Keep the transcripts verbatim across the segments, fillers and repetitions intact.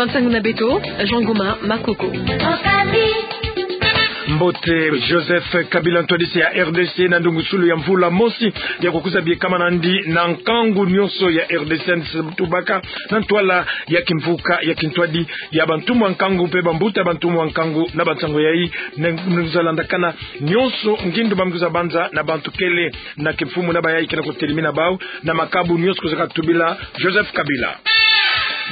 Nsangu na beto, Jean Goma Makoko. Mbote. Joseph Kabila, ntwadisi ya R D C, na ndungusulu ya mvula mosi ya kukwiza biekama nandi na nkangu nyonso ya R D C, tubaka na ntwala ya kimvuka ya kintwadi ya bantumwa nkangu mpe bambuta bantumwa nkangu. Na bansangu yayi, ne-, nza landakana nyonso ngindu bamkwiza banza na bantu kele na kimfumu na bayayi ke na kutelimina bau na makabu nyonso kwiza katubila Joseph Kabila.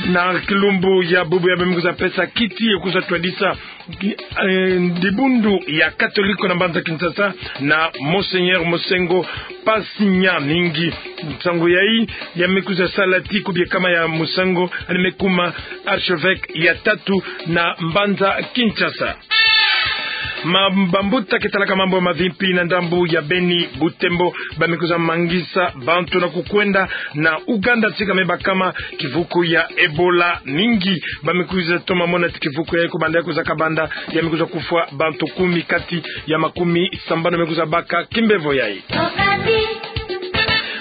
Na kilumbu ya bubu yayi bamkwiza pesa kiti ya kwiza twadisa, eh, dibundu ya Katoliko na mbanza Kinshasa na Monseigneur Mosengo Pasinya Mingi. Nsangu yayi ya mekwiza sala ti ku biekama ya Mosengo, ani mekuma archevêque ya tatu na mbanza Kinshasa. Ma-, bambuta ke talaka mambu ya mavimpi na ndambu ya Beni, Butembo, bamekwiza mangisa bantu na kukwenda na Ouganda tika mebakama kivuku ya Ebola. Mingi bamekwiza toma mona ti kivuku yayi kubanda ya kwiza kabanda, ya mekwiza kufwa bantu kumi kati ya makumi sambanu mekwiza baka kimbevo yayi.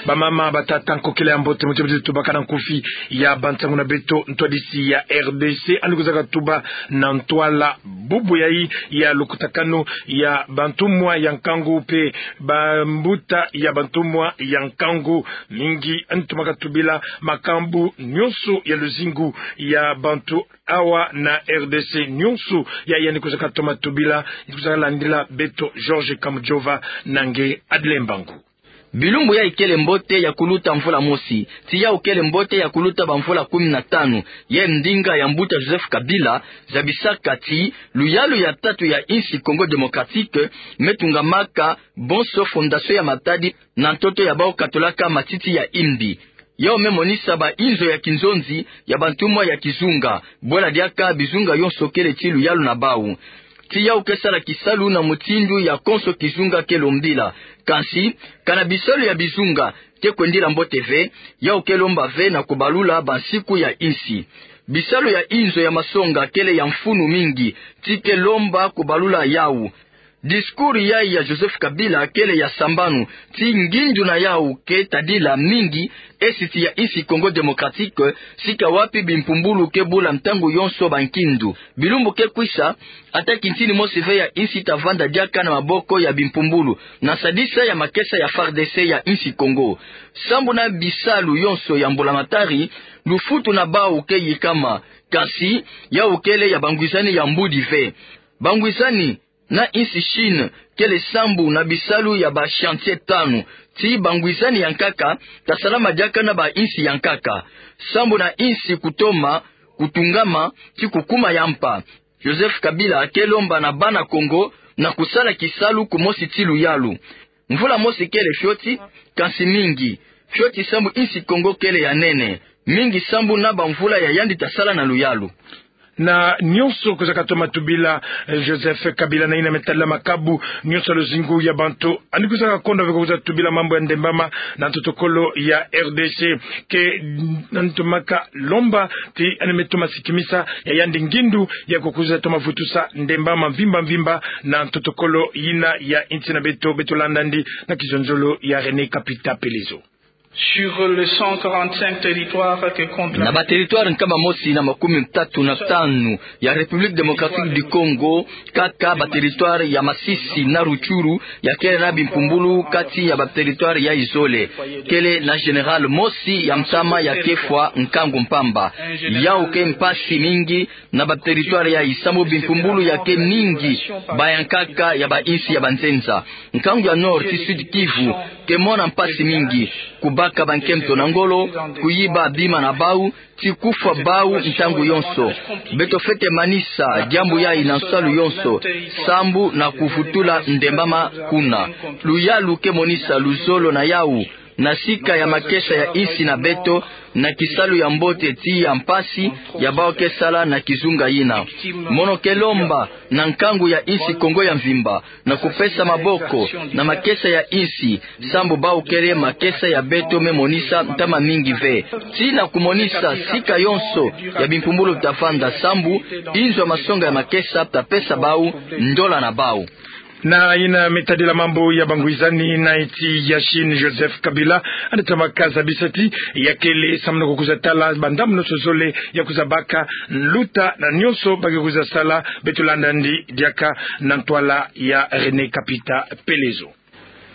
Bamama, batata, nkokila ya mbote, muti muti tubaka na nkufi ya bansangu na beto, ntwadisi ya R D C ani kwiza katuba na ntwala bubu yayi ya lukutakanu ya bantumwa ya nkangu mpe bambuta ya bantumwa ya nkangu. Mingi ani toma katubila makambu nyonso ya luzingu ya bantu awa na R D C nyonso. Yayi ani kwiza katoma tubila, kwiza landila beto George Kamujova na nge Adle Mbangu. Bilumbu yayi kele mbote ya kuluta mvula mosi, ti yawu kele mbote ya kuluta bamvula kumi na tanu, ye ndinga ya mbuta Joseph Kabila zabisaka ti luyalu ya tatu ya insi Congo Démocratique metungamaka bonso fondation ya matadi na ntoto ya bawu katolaka matiti ya imbi. Yawu memonisa bainzo ya kinzonzi ya bantumwa ya kizunga, bwela diaka bizunga yonso kele ti luyalu na bawu. Ti yawu ke sala kisalu na mutindu ya konso kizunga ke lombila. Kansi, kana bisalu ya bizunga ke kwendila mbote ve, yawu ke lomba ve na kubalula bansiku ya insi. Bisalu ya inzo ya masonga kele ya mfunu mingi, ti ke lomba kubalula yawu. Discours yayi ya Joseph Kabila kele ya sambanu, ti ngindu na yawu ke tadila mingi esiti ya insi Congo Démocratique, sika wapi bimpumbulu ke bula ntangu yonso bankindu. Bilumbu ke kwisa, ata kintini mosi ve ya insi ta vanda diaka na maboko ya bimpumbulu, na sadisa ya makesa ya FARDC ya insi Congo. Sambu na bisalu yonso ya mbulamatari, lufutu na bawu ke yikama, kansi yawu kele ya bangwizani ya mbudi ve. Bangwizani na insi Chine kele sambu na bisalu ya ba chantier tanu, ti bangwizani ya nkaka ta salama diaka na bainsi ya nkaka. Sambu na insi kutoma kutungama ti kukuma ya mpa. Joseph Kabila ke lomba na bana Congo na kusala kisalu kumosi ti luyalu. Mvula mosi kele fioti, kansi mingi fioti sambu insi Congo kele ya nene, mingi sambu na bamvula ya yandi ta sala na luyalu. Na nyonso kwiza katoma tubila, eh, Joseph Kabila na yina me tadila makabu nyonso ya luzingu ya bantu. Ani kwiza kakondwa ve kwiza tubila mambu ya ndembama na ntotokolo ya R D C. Ke, mm, ani tomaka lomba ti ani me toma sikimisa ya yandi ngindu ya kukwiza toma vutusa ndembama mvimba mvimba na ntotokolo yina ya insi na beto. Beto landa yandi na kizonzolo ya René Kapita Pelezo. Sur les cent quarante-cinq territoires que compte la... Na bateritware nkama mosi na makumi tatu na tanu ya République Démocratique du Congo, kaka bateritware ya Masisi na Rutshuru ya kele na bimpumbulu kati ya bateritware yayi zole. Kele na général mosi ya ntama ya kefwa nkangu mpamba. Yawu ke mpasi mingi na bateritware yayi sambu bimpumbulu ya ke mingi, ba ya nkaka ya bainsi ya banzenza. Nkangu ya Nord ti Sud-Kivu ke mona mpasi mingi, kubaka bankento na ngolo, kuyiba bima na bawu, ti kufwa bawu ntangu yonso. Beto fwete manisa diambu yayi na nsalu yonso, sambu na kuvutula ndembama kuna. Luyalu ke monisa luzolo na yawu, na sika ya makesa ya insi na beto, na kisalu ya mbote ti ya mpasi ya bawu ke sala na kizunga yina. Mono ke lomba na nkangu ya insi Congo ya mvimba na kupesa maboko na makesa ya insi, sambu bawu kele makesa ya beto me monisa ntama mingi ve. Ti na kumonisa sika yonso ya bimpumbulu ta vanda, sambu inzo ya masonga ya makesa ta pesa bawu ndola na bawu. Na yina me tadila mambu ya bangwizani na insi ya Chine, Joseph Kabila anatomaka zabisa ti yakele samuna kukwiza tala bandambu nionso zole ya kwiza baka nluta na nionso ba ke kwiza sala. Beto landa ndi diaka na ntwala ya René Kapita Pelezo.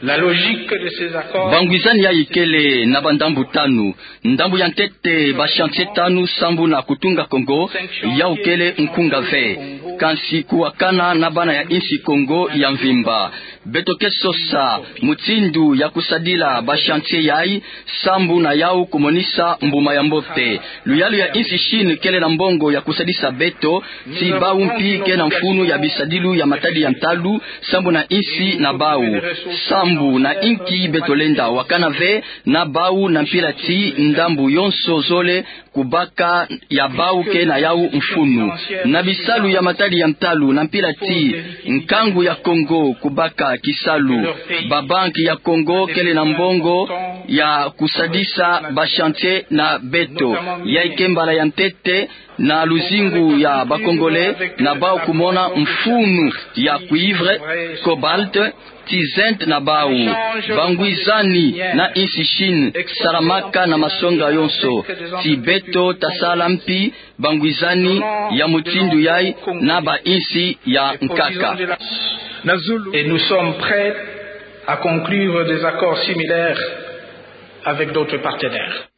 La logique de ces accords. Bangwizani yayi kele na bandambu tanu. Ndambu ya ntete, ba chantier tanu sambu na kutunga Kongo, yawu kele nkunga ve. Kansi kuwakana na bana ya insi Kongo ya mvimba. Beto ke sosa mutindu ya kusadila ba chantier yayi, sambu na yawu kumonisa mbuma ya mbote. Luyalu ya insi Chine kele na mbongo ya kusadisa beto, ti bawu mpi ke na mfunu ya bisadilu ya matadi ya ntalu, sambu na insi na bawu. Sambu na inki beto lenda wakana ve na bawu na mpila ti ndambu yonso zole kubaka ya bawu ke na yawu mfunu. Na bisalu ya matadi ya ntalu na mpila ti nkangu ya Kongo kubaka kisalu. Ba banki ya Kongo kele na mbongo ya kusadisa ba chantier na beto. Yayi ke mbala ya ntete na luzingu ya ba Congolais na bawu kumona mfunu ya cuivre, cobalt, ti zinc na bawu. Bangwizani na insi Chine salamaka na masonga yonso. Ti beto tasala mpi bangwizani ya mutindu yayi na ba insi ya nkaka. Na zulu. Et nous sommes prêts à conclure des accords similaires avec d'autres partenaires.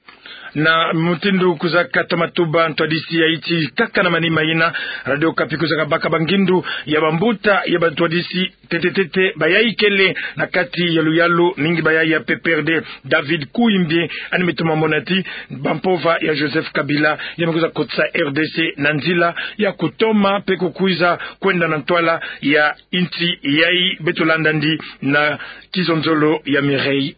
Na mutindu kwiza kata matuba ntwadisi yayi ti kaka na manima yina, Radio Okapi kwiza kabaka bangindu ya bambuta ya bantwadisi ntete ntete bayayi kele na kati ya luyalu ningi bayayi ya P P R D, David Kuimbi, ani me toma mona ti bampova ya Joseph Kabila ya me kwiza kotisa R D C na nzila ya kutoma mpe kukwiza kwenda na ntwala ya insi yayi. Beto landa ndi na kizonzolo ya Mireille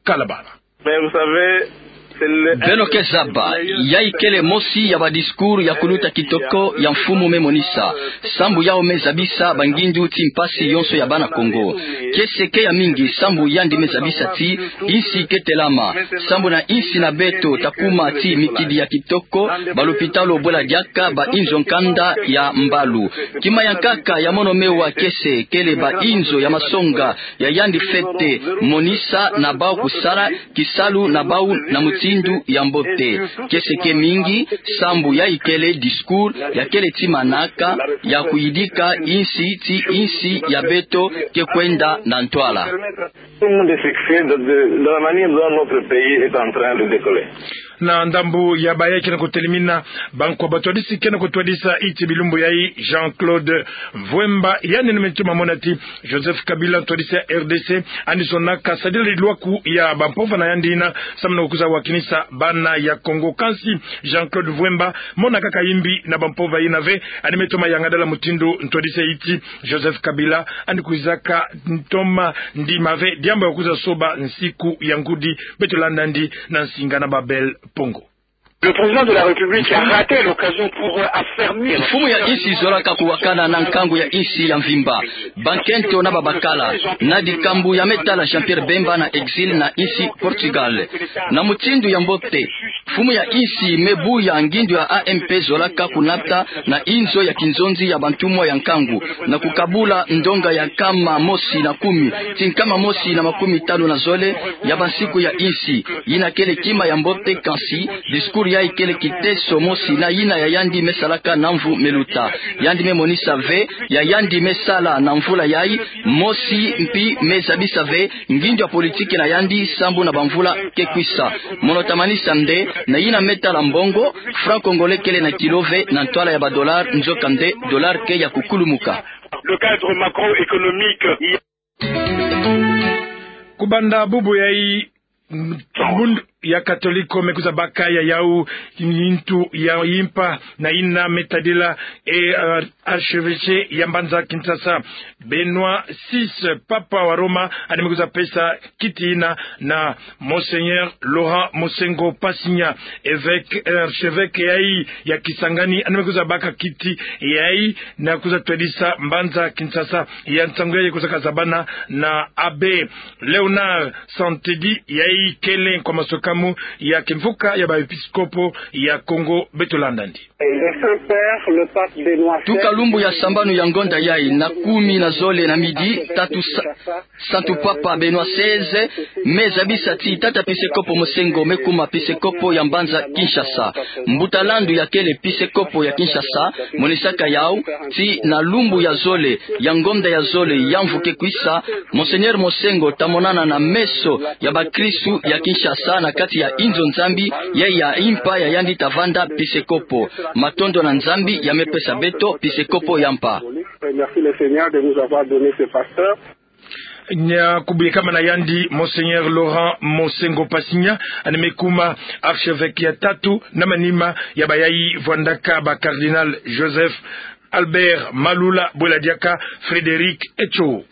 Kalabala. Mais vous savez, c'est le... Beno ke zaba, yayi kele mosi ya ba discours ya kuluta kitoko ya mfumu me monisa, sambu yawu me zabisa bangindu ti mpasi yonso ya bana Kongo. Kiese ke ya mingi, sambu yandi me zabisa ti insi ke telama, sambu na insi na beto takuma ti mikidi ya kitoko, balopitalo bwela diaka, bainzo nkanda ya mbalu. Kima ya nkaka ya mono me wa kiese kele bainzo ya masonga ya yandi fete monisa na bawu kusala kisalu na bawu na mutindu ya mbote. Kiese ke mingi, sambu yayi kele discours ya kele ti manaka ya kuyidika insi ti insi ya beto ke kwenda na ntwala. Tout le monde est fixé de, de, de la manière dont notre pays est en train de décoller. Na ndambu ya bayayi ke na kutelemina, bankwa batwadisi ke na kutwadisa ti bilumbu yayi, Jean-Claude Mvuemba, yandi ni me toma mona ti Joseph Kabila, ntwadisi ya R D C, ani zonaka sadila lilwaku ya bampova na yandi yina, samu na kukwiza wakinisa bana ya Kongo. Kansi Jean-Claude Mvuemba, mona kaka imbi na bampova yina ve, ani me toma yangadala mutindu ntwadisi yayi ti Joseph Kabila ani kwizaka toma ndima ve diambu ya kwiza soba nsiku ya ngudi. Beto landa ndi na nsinga na Babel Pongo. Le président de la République a raté l'occasion pour, euh, affermir... Mfumu ya insi zolaka kuwakana na nkangu ya insi ya mvimba, bankento na babakala, na dikambu ya me tala Jean-Pierre Bemba na exil na insi Portugal. Na mutindu ya mbote, mfumu ya insi me buya ngindu ya A M P zolaka kunata na inzo ya kinzonzi ya bantumwa ya nkangu, na kukabula ndonga ya nkama mosi na kumi, ti nkama mosi na makumi tanu na zole ya bansiku ya insi. Yina kele kima ya mbote, kansi discours yayi kele kiteso mosi na yina ya yandi me salaka na mvu me luta. Yandi me monisa ve ya yandi me sala na mvula yayi, mosi mpi me zabisa ve ngindu ya politiki na yandi sambu na bamvula ke kwisa. Mono tamanisa nde, na yina me tala mbongo, franc congolais kele na kilo ve na ntwala ya ba dollars, nzokande dollars ke ya kukulumuka. Le cadre macroéconomique. Kubanda bubu yayi, m-, mbundu ya Katoliko me kwiza baka ya yawu ntu ya yimpa na yina me tadila e, euh, archevêché ya mbanza Kinshasa, Benoît six, Papa wa Roma, ani me kwiza pesa kiti yina na Monseigneur Laurent Monsengwo Pasinya, évêque, euh, archevêque yayi ya Kisangani, ani me kwiza baka kiti yayi na kwiza twadisa mbanza Kinshasa. Ya nsangu yayi kwiza kazabana na abbé Léonard Santedi, yayi kele nkwa masoka Makambu ya kimvuka ya ba episkopo ya Kongo, beto landa ndi. Le Saint-Père, le pape Benoît seize. Tuka lumbu ya sambanu ya ngonda yayi na kumi na zole na midi, tatu sa-, Santu Papa Benoît seize me zabisa ti tata pisekopo Mosengo me kuma pisekopo ya mbanza Kinshasa. Mbuta landu ya kele pisekopo ya Kinshasa monisaka yau ti na lumbu ya zole ya ngonda ya zole ya mvu ke kwisa, Monseigneur Mosengo ta monana na meso ya bakristu ya Kinshasa na kati ya inzo Nzambi, ya ya impa ya yandi ta vanda pisekopo. Matondo na Nzambi ya me pesa beto pisekopo ya mpa. Merci le Seigneur de nous avoir donné ce pasteur. Nia kubuye kama na yandi Monseigneur Laurent Mosengo Pasinya, yandi me kuma archevêque ya tatu na manima ya bayayi vwandaka ba cardinal Joseph Albert Malula, bwela diaka Frédéric Etcho.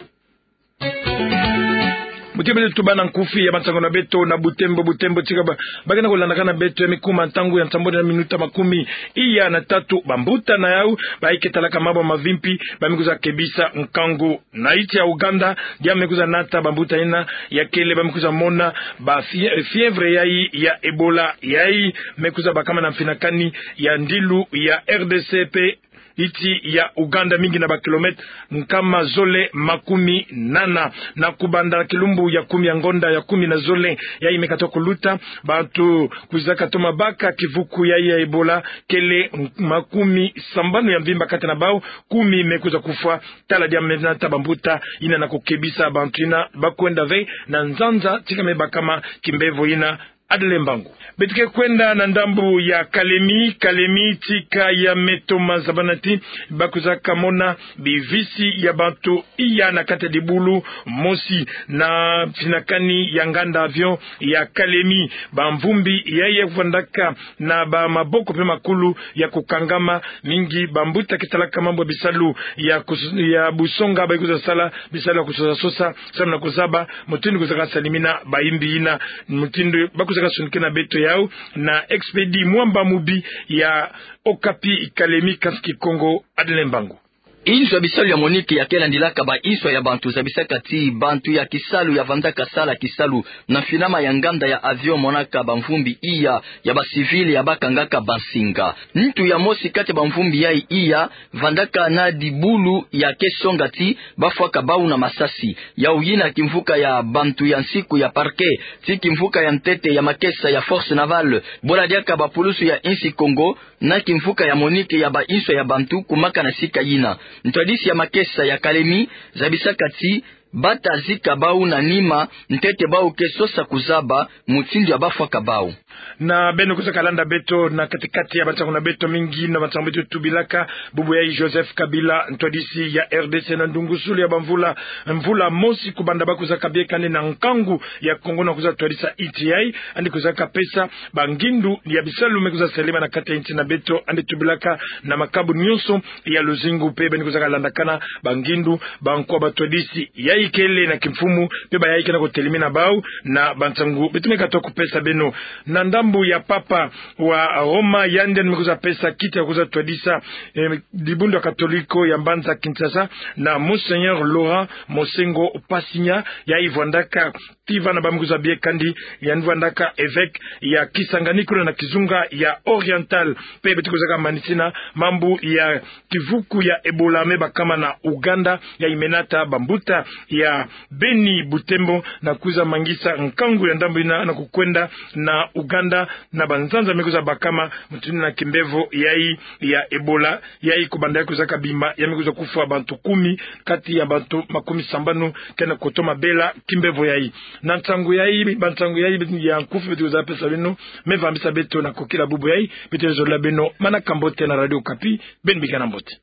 Muti beto tubana nkufi ya bansango na beto na butembo, butembo tika ba, ba kena kulandaka na beto ya me kuma ntangu ya nsambwadi na minuta makumi iya na tatu. Bambuta na yau bayi ke talaka mambu mavimpi ba me kwiza kebisa nkangu. Na nsi ya Ouganda, dia me kwiza nata bambuta ina ya kele ba me kwiza mona ba fie-, fièvre yayi ya Ebola, yayi me kwiza bakama na mfinakani ya ndilu ya R D C pe nsi ya Ouganda, mingi na ba kilomètre nkama zole makumi nana. Na kubanda kilumbu ya kumi ya ngonda ya kumi na zole yayi me katuka kuluta, bantu kwiza katoma baka kivuku yayi ya Ebola kele makumi sambanu ya mvimba, kati na bau kumi me kwiza kufwa. Tala dia me nata bambuta ina na kukebisa bantu ina ba kwenda ve na nzanza tika me bakama kimbevo ina. Adele Mbangu. Beto ke kwenda na ndambu ya Kalemi, Kalemi tika ya me toma zabana ti ba kwizaka mona bivisi ya bantu iya na kati ya dibulu mosi na mfinakani ya nganda avion ya Kalemi. Bamvumbi yayi ya kuvwandaka na bamaboko pe makulu ya kukangama, mingi bambuta ke salaka mambu ya bisalu ya kus-, ya busonga, ba kwiza sala bisalu ya kusosa-sosa, samu na kuzaba mutindu kwizaka salimina bayimbi ina. Mutindu ba kwizaka sonikina beto yau na Expédit Mwamba Mubi ya Okapi. Kalemi, Kansi Kikongo, Adele Mbangu. Inzo ya bisalu ya MONUC ya ke landilaka banswa ya bantu zabisaka ti bantu ya kisalu ya vandaka sala kisalu na mfinama ya nganda ya avion monaka bamvumbi iya ya ba civil ya ba kangaka bansinga. Ntu ya mosi kati ya bamvumbi yayi iya vandaka na dibulu ya ke songa ti ba fwaka bau na masasi. Yau yina kimvuka ya bantu ya nsiku ya parquet ti kimvuka ya ntete ya makesa ya Force Navale, bwela diaka bapulusu ya insi Kongo, na kimvuka ya MONUC ya banswa ya bantu kumaka na sika yina. Ntwadisi ya makesa ya Kalemi zabisaka ti ba ta zika bau na nima ntete bau ke sosa kuzaba mutindu ya ba fwaka bau. Na beno kwizaka landa beto na kati-kati ya bansangu na beto, mingi na bansangu beto tubilaka bubu yayi Joseph Kabila, ntwadisi ya R D C, na ndungusulu ya bamvula, mvula mosi kubanda ba kwizaka bieka nde na nkangu ya Kongo na kwiza twadisa nti yayi, yandi kwizaka pesa bangindu ya bisalu me kwiza salema na kati ya nti na beto, yandi tubilaka na makabu nyonso ya luzingu pe. Beno kwizaka landakana bangindu, bankwa batwadisi yayi kele na kimfumu pe bayayi ke na kutelemina bau na bansangu beto me katuka kupesa beno. Na ndambu ya Papa wa Roma, yandi me kwiza pesa kiti ya kwiza twadisa, eh, dibundu ya Katoliko ya mbanza Kinshasa, na Monseigneur Laurent Mosengo Pasinya, yayi vwandaka ti vana ba me kwiza bieka nde, yandi vwandaka evêque ya Kisangani kuna na kizunga ya Oriental. Pe beto kwizaka manisina mambu ya kivuku ya Ebola me bakama na Ouganda, yayi me nata bambuta ya Beni, Butembo, na kwiza mangisa nkangu ya ndambu yina na kukwenda na Ouganda na banzanza me kwiza bakama mutindu na kimbevo yayi ya Ebola. Yayi kubanda yayi kwizaka bima, ya me kwiza kufwa bantu kumi kati ya bantu makumi sambanu ke na kutoma bela kimbevo yayi. Na nsangu yayi, bansangu yayi ya nkufi beto kwiza pesa beno, me vambisa beto na kokila bubu yayi. Beto zola beno manaka mbote na Radio Okapi. Beno bikana mbote.